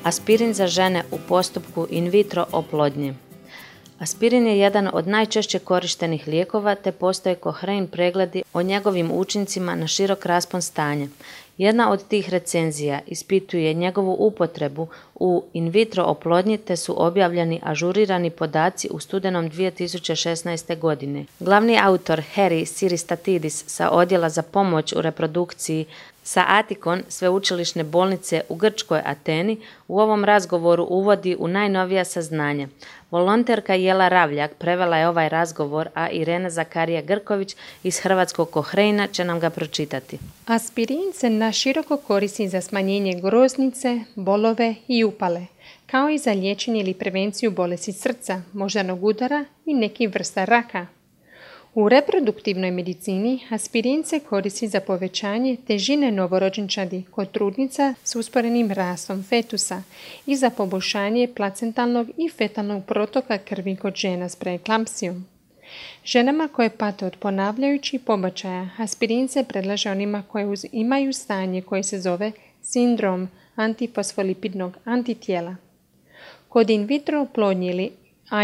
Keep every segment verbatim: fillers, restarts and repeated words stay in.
Aspirin za žene u postupku in vitro oplodnje. Aspirin je jedan od najčešće korištenih lijekova te postoje koherentni pregledi o njegovim učincima na širok raspon stanja. Jedna od tih recenzija ispituje njegovu upotrebu u in vitro oplodnji te su objavljeni ažurirani podaci u studenom dvije tisuće šesnaeste. godine. Glavni autor Harry Siristatidis sa odjela za pomoć u reprodukciji sa Atikon sveučilišne bolnice u grčkoj Ateni u ovom razgovoru uvodi u najnovija saznanja. Volonterka Jela Ravljak prevela je ovaj razgovor, a Irena Zakarija Grković iz Hrvatskog Kohrejna će nam ga pročitati. Aspirin se naširoko koristi za smanjenje groznice, bolove i upale, kao i za liječenje ili prevenciju bolesti srca, moždanog udara i nekih vrsta raka. U reproduktivnoj medicini aspirin se koristi za povećanje težine novorođenčadi kod trudnica s usporenim rastom fetusa i za poboljšanje placentalnog i fetalnog protoka krvi kod žena s preeklampsijom. Ženama koje pate od ponavljajućih pobačaja, aspirin se predlaže onima koje imaju stanje koje se zove sindrom antifosfolipidnog antitijela. Kod in vitro oplodnje ili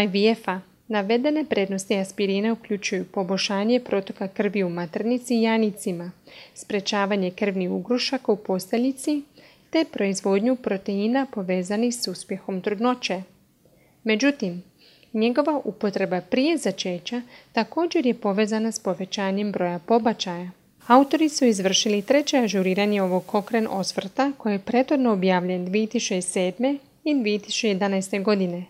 I V F-a navedene prednosti aspirina uključuju poboljšanje protoka krvi u maternici i janicima, sprečavanje krvnih ugrušaka u posteljici te proizvodnju proteina povezanih s uspjehom trudnoće. Međutim, njegova upotreba prije začeća također je povezana s povećanjem broja pobačaja. Autori su izvršili treće ažuriranje ovog Cochrane osvrta koje je prethodno objavljen dvije tisuće sedme. i dvije tisuće jedanaeste. godine.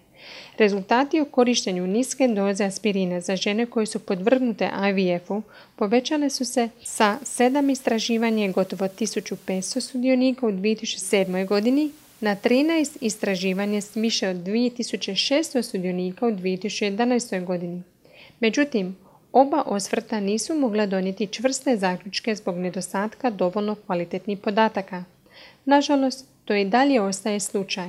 Rezultati o korištenju niske doze aspirina za žene koje su podvrgnute I V F-u povećale su se sa sedam istraživanja gotovo tisuću petsto sudionika u dvije tisuće sedmoj. godini na trinaest istraživanja s više od dvije tisuće šesto sudionika u dvije tisuće jedanaestoj. godini. Međutim, oba osvrta nisu mogla donijeti čvrste zaključke zbog nedostatka dovoljno kvalitetnih podataka. Nažalost, to i dalje ostaje slučaj.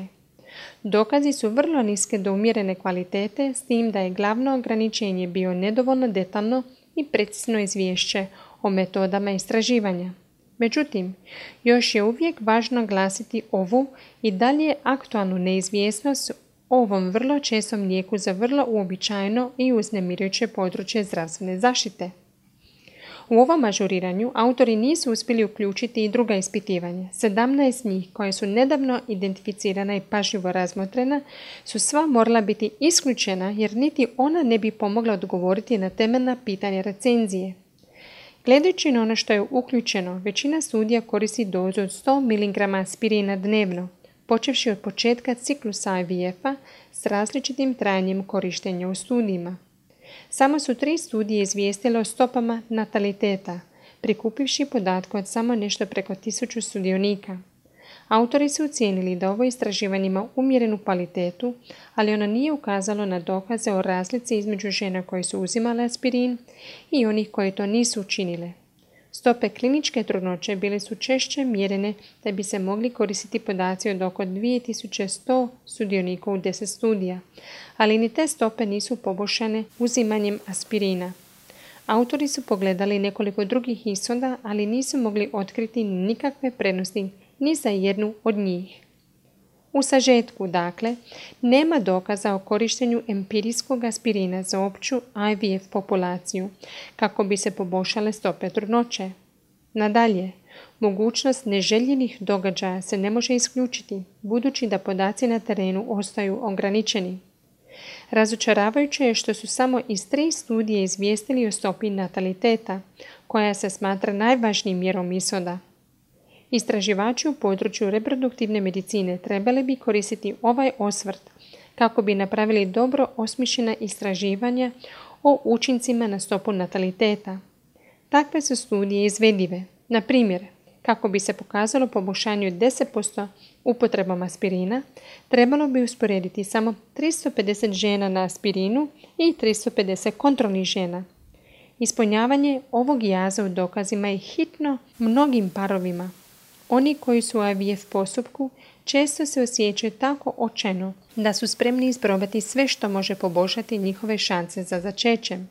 Dokazi su vrlo niske do umjerene kvalitete, s tim da je glavno ograničenje bio nedovoljno detaljno i precizno izvješće o metodama istraživanja. Međutim, još je uvijek važno glasiti ovu i dalje aktualnu neizvjesnost o ovom vrlo čestom lijeku za vrlo uobičajeno i uznemirujuće područje zdravstvene zaštite. U ovom ažuriranju autori nisu uspjeli uključiti i druga ispitivanja. sedamnaest njih, koje su nedavno identificirana i pažljivo razmotrena, su sva morala biti isključena jer niti ona ne bi pomogla odgovoriti na temeljna pitanja recenzije. Gledajući na ono što je uključeno, većina studija koristi dozu od sto miligrama aspirina dnevno, počevši od početka ciklusa I V F-a s različitim trajanjem korištenja u studijima. Samo su tri studije izvijestile o stopama nataliteta, prikupivši podatke od samo nešto preko tisuću sudionika. Autori su ocijenili da ovo istraživanje ima umjerenu kvalitetu, ali ono nije ukazalo na dokaze o razlici između žena koje su uzimale aspirin i onih koje to nisu učinile. Stope kliničke trudnoće bile su češće mjerene da bi se mogli koristiti podaci od oko dvije tisuće sto sudionika u deset studija, ali ni te stope nisu poboljšane uzimanjem aspirina. Autori su pogledali nekoliko drugih ishoda, ali nisu mogli otkriti nikakve prednosti ni za jednu od njih. U sažetku, dakle, nema dokaza o korištenju empirijskog aspirina za opću I V F populaciju kako bi se poboljšale stope trudnoće. Nadalje, mogućnost neželjenih događaja se ne može isključiti, budući da podaci na terenu ostaju ograničeni. Razočaravajuće je što su samo iz tri studije izvijestili o stopi nataliteta, koja se smatra najvažnijim mjerom ishoda. Istraživači u području reproduktivne medicine trebali bi koristiti ovaj osvrt kako bi napravili dobro osmišljena istraživanja o učincima na stopu nataliteta. Takve su studije izvedive. Na primjer, kako bi se pokazalo poboljšanje od deset posto upotrebom aspirina, trebalo bi usporediti samo tristo pedeset žena na aspirinu i tristo pedeset kontrolnih žena. Ispunjavanje ovog jaza u dokazima je hitno mnogim parovima. Oni koji su u I V F postupku često se osjećaju tako očajno da su spremni isprobati sve što može poboljšati njihove šanse za začećem.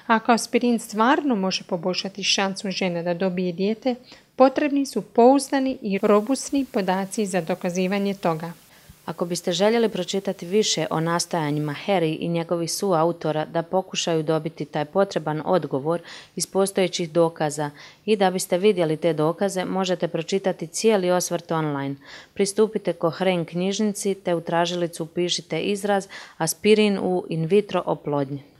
Ako aspirin stvarno može poboljšati šansu žene da dobije dijete, potrebni su pouzdani i robustni podaci za dokazivanje toga. Ako biste željeli pročitati više o nastojanjima Harry i njegovih suautora da pokušaju dobiti taj potreban odgovor iz postojećih dokaza i da biste vidjeli te dokaze, možete pročitati cijeli osvrt online. Pristupite Cochrane knjižnici te u tražilicu upišite izraz aspirin u in vitro oplodnji.